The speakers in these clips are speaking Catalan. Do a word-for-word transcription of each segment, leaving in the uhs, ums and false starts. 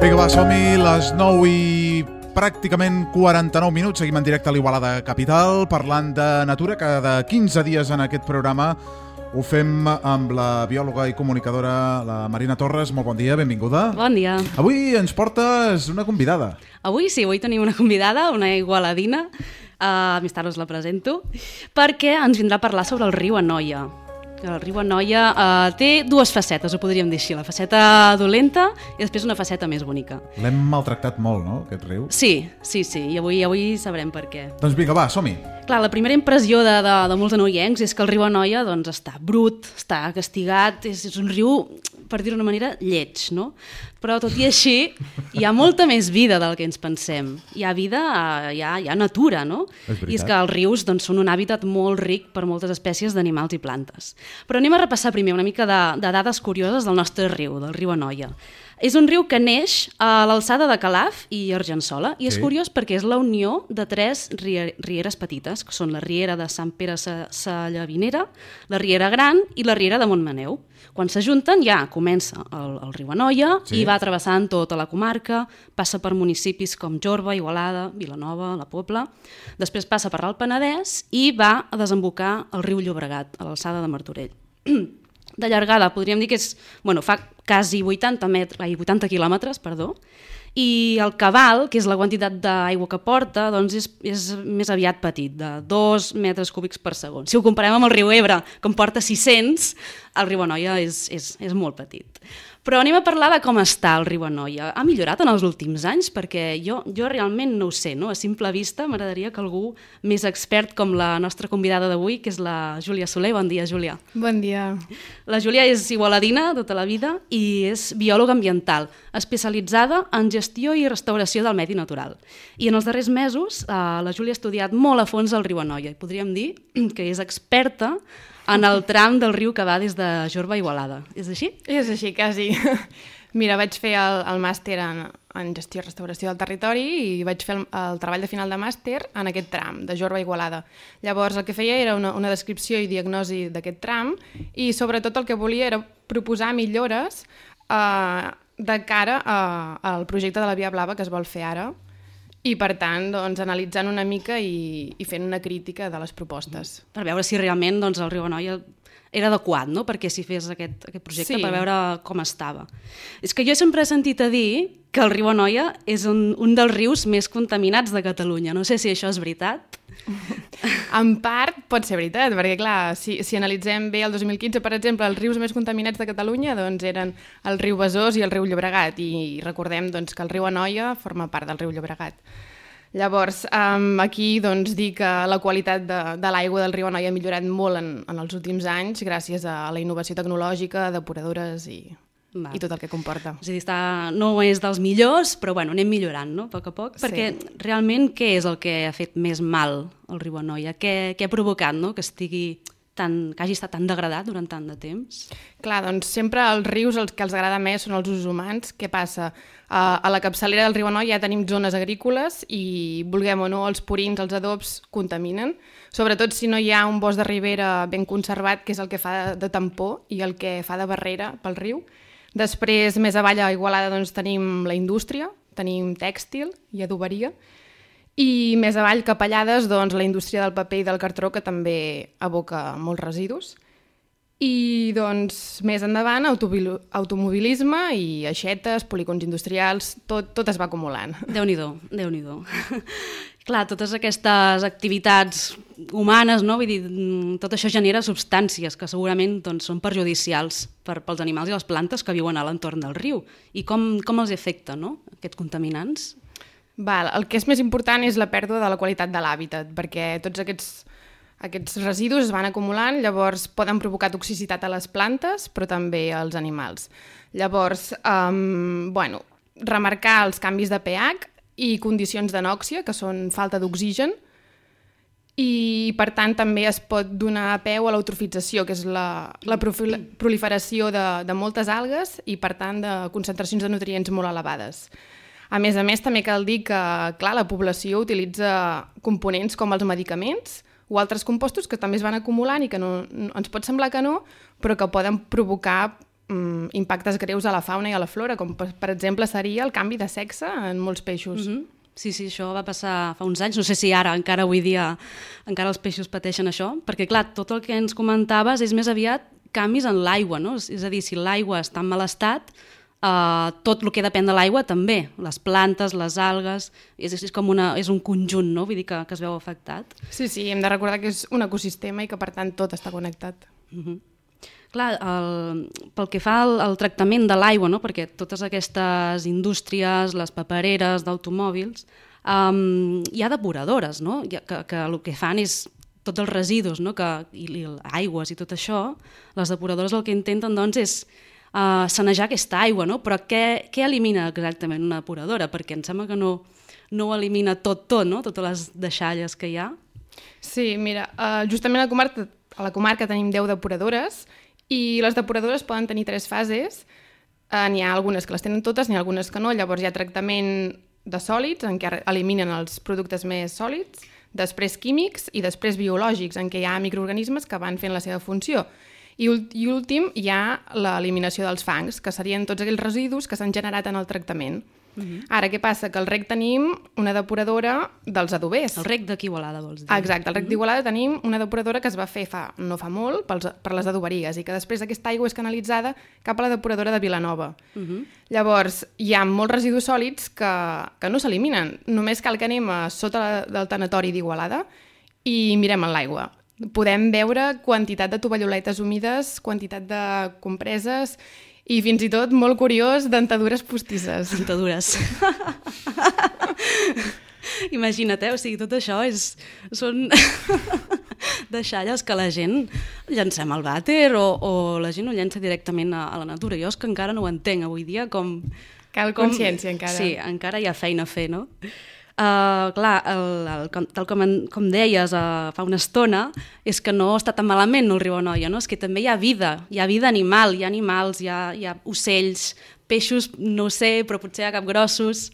Vinga, va, som-hi, les nou i pràcticament quaranta-nou minuts. Seguim en directe a l'Igualada Capital, parlant de natura. Cada quinze dies en aquest programa ho fem amb la biòloga i comunicadora, la Marina Torres. Molt bon dia, benvinguda. Bon dia. Avui ens portes una convidada. Avui sí, avui tenim una convidada, una igualadina. Uh, més tard us la presento, perquè ens vindrà a parlar sobre el riu Anoia. El riu Anoia uh, té dues facetes, ho podríem dir així, la faceta dolenta i després una faceta més bonica. L'hem maltractat molt, no, aquest riu? Sí, sí, sí, i avui, avui sabrem per què. Doncs vinga, va, som-hi. Clar, la primera impressió de, de, de molts anoiencs és que el riu Anoia doncs, està brut, està castigat, és, és un riu, per dir-ho d'una manera, lleig, no? Però tot i així hi ha molta més vida del que ens pensem. Hi ha vida, hi ha, hi ha natura, no? És veritat. I és que els rius doncs, són un hàbitat molt ric per moltes espècies d'animals i plantes. Però anem a repassar primer una mica de, de dades curioses del nostre riu, del riu Anoia. És un riu que neix a l'alçada de Calaf i Argençola i és Sí. curiós perquè és la unió de tres rie- rieres petites, que són la riera de Sant Pere Sa- Sallavinera, la riera Gran i la riera de Montmaneu. Quan s'ajunten ja comença el, el riu Anoia Sí. i va travessant tota la comarca, passa per municipis com Jorba, Igualada, Vilanova, la Pobla, després passa per l'Alt Penedès i va a desembocar al riu Llobregat, a l'alçada de Martorell. De llargada, podríem dir que és, bueno, fa quasi vuitanta, metres, ai, vuitanta quilòmetres, perdó, i el cabal, que és la quantitat d'aigua que porta, doncs és, és més aviat petit, de dos metres cúbics per segon. Si ho comparem amb el riu Ebre, que en porta sis-cents, el riu Anoia és, és, és molt petit. Però anem a parlar de com està el riu Anoia. Ha millorat en els últims anys? Perquè jo, jo realment no ho sé, no? A simple vista m'agradaria que algú més expert com la nostra convidada d'avui, que és la Júlia Soler. Bon dia, Júlia. Bon dia. La Júlia és igualadina tota la vida i és biòloga ambiental, especialitzada en gestió i restauració del medi natural. I en els darrers mesos eh, la Júlia ha estudiat molt a fons el riu Anoia i podríem dir que és experta en el tram del riu que va des de Jorba a Igualada. És així? És així, quasi. Mira, vaig fer el, el màster en, en gestió i restauració del territori i vaig fer el, el treball de final de màster en aquest tram, de Jorba a Igualada. Llavors, el que feia era una, una descripció i diagnosi d'aquest tram i, sobretot, el que volia era proposar millores eh, de cara a, al projecte de la Via Blava que es vol fer ara i, per tant, doncs, analitzant una mica i, i fent una crítica de les propostes. Per veure si realment doncs, el riu Anoia era adequat, no?, perquè s'hi fes aquest, aquest projecte, Sí. per veure com estava. És que jo sempre he sentit a dir que el riu Anoia és un, un dels rius més contaminats de Catalunya. No sé si això és veritat. En part pot ser veritat, perquè clar, si, si analitzem bé el dos mil quinze, per exemple, els rius més contaminats de Catalunya doncs, eren el riu Besòs i el riu Llobregat, i recordem doncs, que el riu Anoia forma part del riu Llobregat. Llavors, um, aquí doncs, dir que la qualitat de, de l'aigua del riu Anoia ha millorat molt en, en els últims anys gràcies a la innovació tecnològica, depuradores i, Va. i tot el que comporta. És a dir, està, no és dels millors, però bueno, anem millorant, no?, a poc a poc, perquè Sí. realment què és el que ha fet més mal al riu Anoia? Què, què ha provocat, no?, que estigui tan, que hagi estat tan degradat durant tant de temps? Clar, doncs sempre els rius els que els agrada més són els usos humans. Què passa? Uh, a la capçalera del riu Anoia ja tenim zones agrícoles i, vulguem o no, els purins, els adobs contaminen, sobretot si no hi ha un bosc de ribera ben conservat, que és el que fa de, de tampó i el que fa de barrera pel riu. Després, més avall a Igualada, doncs, tenim la indústria, tenim tèxtil i adoberia, i més avall, cap a Llades, doncs, la indústria del paper i del cartró, que també aboca molts residus. I doncs, més endavant, autobil- automobilisme i aixetes, polígons industrials, tot, tot es va acumulant. Déu-n'hi-do, Déu-n'hi-do. Clar, totes aquestes activitats humanes, no? Vull dir, mm, tot això genera substàncies que segurament doncs, són perjudicials per, pels animals i les plantes que viuen a l'entorn del riu. I com, com els afecta, no?, aquests contaminants? Val, el que és més important és la pèrdua de la qualitat de l'hàbitat, perquè tots aquests, aquests residus es van acumulant, llavors poden provocar toxicitat a les plantes, però també als animals. Llavors, um, bueno, remarcar els canvis de pH i condicions d'anòxia, que són falta d'oxigen, i per tant també es pot donar peu a l'eutrofització, que és la, la profil- proliferació de, de moltes algues i per tant de concentracions de nutrients molt elevades. A més a més, també cal dir que clar, la població utilitza components com els medicaments o altres compostos que també es van acumulant i que no, no, ens pot semblar que no, però que poden provocar mm, impactes greus a la fauna i a la flora, com per, per exemple seria el canvi de sexe en molts peixos. Mm-hmm. Sí, sí, això va passar fa uns anys, no sé si ara, encara avui dia, encara els peixos pateixen això, perquè clar, tot el que ens comentaves és més aviat canvis en l'aigua, no? És a dir, si l'aigua està en mal estat, Uh, tot el que depèn de l'aigua també, les plantes, les algues, és, és, com una, és un conjunt, no? Vull dir que, que es veu afectat. Sí, sí, hem de recordar que és un ecosistema i que per tant tot està connectat. Uh-huh. Clar, el, pel que fa al, al tractament de l'aigua, no? Perquè totes aquestes indústries, les papereres d'automòbils, um, hi ha depuradores, no? Que, que el que fan és tots els residus, no? Que, i, i aigües i tot això, les depuradores el que intenten doncs és Uh, sanejar aquesta aigua, no? Però què, què elimina exactament una depuradora? Perquè em sembla que no, no elimina tot, tot, no? Totes les deixalles que hi ha. Sí, mira, uh, justament a la comarca, a la comarca tenim deu depuradores i les depuradores poden tenir tres fases. Uh, n'hi ha algunes que les tenen totes, n'hi ha algunes que no. Llavors hi ha tractament de sòlids, en què eliminen els productes més sòlids, després químics i després biològics, en què hi ha microorganismes que van fent la seva funció. I, I últim hi ha l'eliminació dels fangs, que serien tots aquells residus que s'han generat en el tractament. Uh-huh. Ara, què passa? Que al rec tenim una depuradora dels adobers. El rec d'aquí Igualada, vols dir? Exacte, al rec uh-huh. d'Igualada tenim una depuradora que es va fer fa, no fa molt pels, per les adoberies i que després aquesta aigua és canalitzada cap a la depuradora de Vilanova. Uh-huh. Llavors, hi ha molts residus sòlids que, que no s'eliminen. Només cal que anem a sota del tanatori d'Igualada i mirem en l'aigua. Podem veure quantitat de tovalloletes humides, quantitat de compreses i fins i tot, molt curiós, dentadures postisses. Dentadures. Imagina't, eh? O sigui, tot això és, són deixalles que la gent llancem al vàter o, o la gent ho llença directament a, a la natura. Jo és que encara no ho entenc avui dia com... Cal com, consciència encara. Sí, encara hi ha feina a fer, no? Uh, clar, el, el, tal com, com deies uh, fa una estona, és que no està tan malament el riu Anoia, no? És que també hi ha vida, hi ha vida animal, hi ha animals, hi ha, hi ha ocells, peixos, no ho sé, però potser hi ha capgrossos.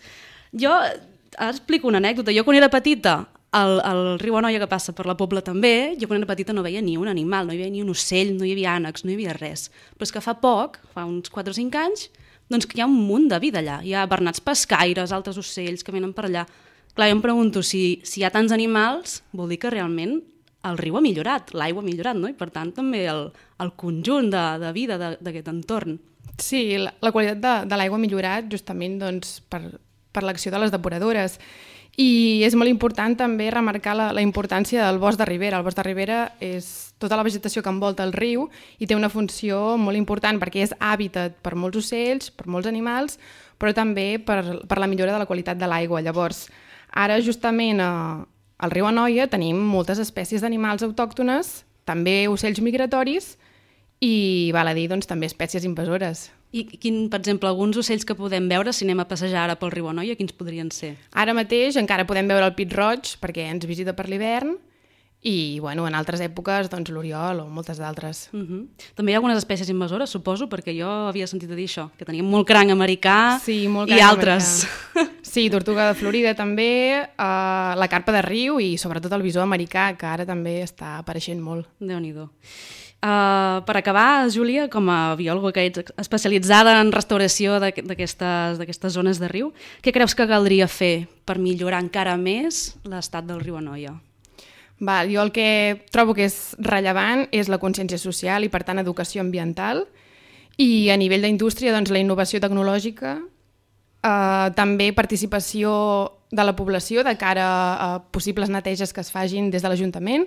Jo, ara explico una anècdota, jo quan era petita, el, el riu Anoia que passa per la Pobla també, jo quan era petita no veia ni un animal, no hi havia ni un ocell, no hi havia ànecs, no hi havia res. Però és que fa poc, fa uns quatre o cinc anys, doncs que hi ha un munt de vida allà, hi ha bernats pescaires, altres ocells que venen per allà. Clar, jo em pregunto, si, si hi ha tants animals, vol dir que realment el riu ha millorat, l'aigua ha millorat, no? I per tant també el, el conjunt de, de vida d'aquest entorn. Sí, la, la qualitat de, de l'aigua ha millorat justament doncs, per, per l'acció de les depuradores. I és molt important també remarcar la, la importància del bosc de ribera. El bosc de ribera és tota la vegetació que envolta el riu i té una funció molt important perquè és hàbitat per molts ocells, per molts animals, però també per, per la millora de la qualitat de l'aigua. Llavors, ara, justament, a, al riu Anoia tenim moltes espècies d'animals autòctones, també ocells migratoris i, val a dir, doncs, també espècies invasores. I, quin, per exemple, alguns ocells que podem veure si anem a passejar ara pel riu Anoia, quins podrien ser? Ara mateix encara podem veure el pit roig, perquè ens visita per l'hivern, i, bueno, en altres èpoques, doncs, l'oriol o moltes d'altres. Uh-huh. També hi ha algunes espècies invasores, suposo, perquè jo havia sentit a dir això, que teníem molt cranc americà sí, molt i altres. Americà. Sí, tortuga de Florida també, uh, la carpa de riu i sobretot el bisó americà, que ara també està apareixent molt. Déu-n'hi-do. Uh, per acabar, Júlia, com a biòloga que ets especialitzada en restauració d'aquestes d'aquestes zones de riu, què creus que caldria fer per millorar encara més l'estat del riu Anoia? Val, jo el que trobo que és rellevant és la consciència social i, per tant, educació ambiental. I a nivell d'indústria, doncs, la innovació tecnològica, eh, també participació de la població de cara a possibles neteges que es fagin des de l'Ajuntament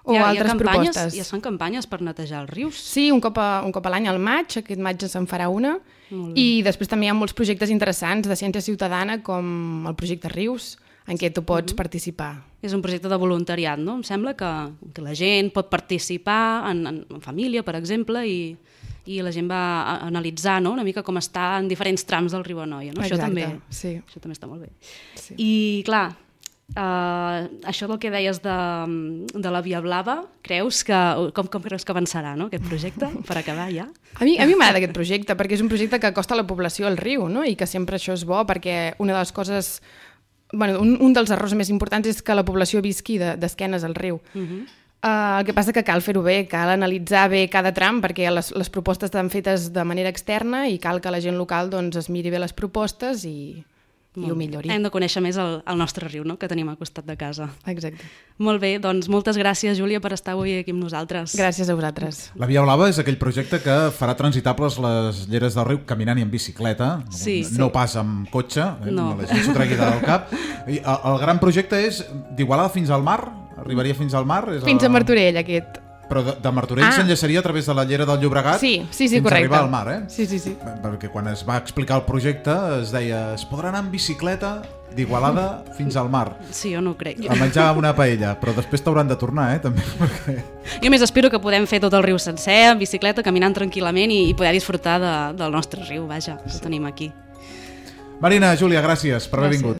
o hi ha, altres hi ha campanyes, propostes. Hi ha fan campanyes per netejar els rius? Sí, un cop a, un cop a l'any, al maig, aquest maig se'n farà una. I després també hi ha molts projectes interessants de ciència ciutadana, com el projecte Rius, en què tu pots uh-huh. participar. És un projecte de voluntariat, no? Em sembla que, que la gent pot participar en, en, en família, per exemple, i, i la gent va a, a analitzar, no? Una mica com està en diferents trams del riu Anoia. No? Això, també, sí. això també està molt bé. Sí. I, clar, uh, això del que deies de, de la Via Blava, creus que, com, com creus que avançarà, no? Aquest projecte, per acabar ja? A mi, a mi m'agrada aquest projecte, perquè és un projecte que acosta a la població al riu, no? I que sempre això és bo, perquè una de les coses... Bueno, un, un dels errors més importants és que la població visqui d'esquenes de, al riu. Uh-huh. Uh, el que passa que cal fer-ho bé, cal analitzar bé cada tram, perquè les, les propostes estan fetes de manera externa i cal que la gent local doncs, es miri bé les propostes i, i ho millori. Hem de conèixer més el, el nostre riu, no?, que tenim al costat de casa. Exacte. Molt bé, doncs moltes gràcies, Júlia, per estar avui aquí amb nosaltres. Gràcies a vosaltres. La Via Blava és aquell projecte que farà transitables les lleres del riu caminant i en bicicleta, sí, no sí. pas amb cotxe, eh? No. La gent s'ho tregui del cap. I el, el gran projecte és d'Igualada fins al mar? Arribaria fins al mar? És Fins el... a Martorell, aquest. Però de, de Martorell Ah. s'enllaçaria a través de la llera del Llobregat Sí, sí, sí, fins correcte. a arribar al mar, eh? Sí, sí, sí. Perquè quan es va explicar el projecte es deia es podrà anar en bicicleta d'Igualada fins al mar Sí, jo no ho crec. a menjar una paella, però després t'hauran de tornar, eh? També, perquè... Jo més espero que podem fer tot el riu sencer, en bicicleta, caminant tranquil·lament i, i poder disfrutar de, del nostre riu, vaja, que tenim aquí. Marina, Júlia, gràcies per haver Gràcies. vingut.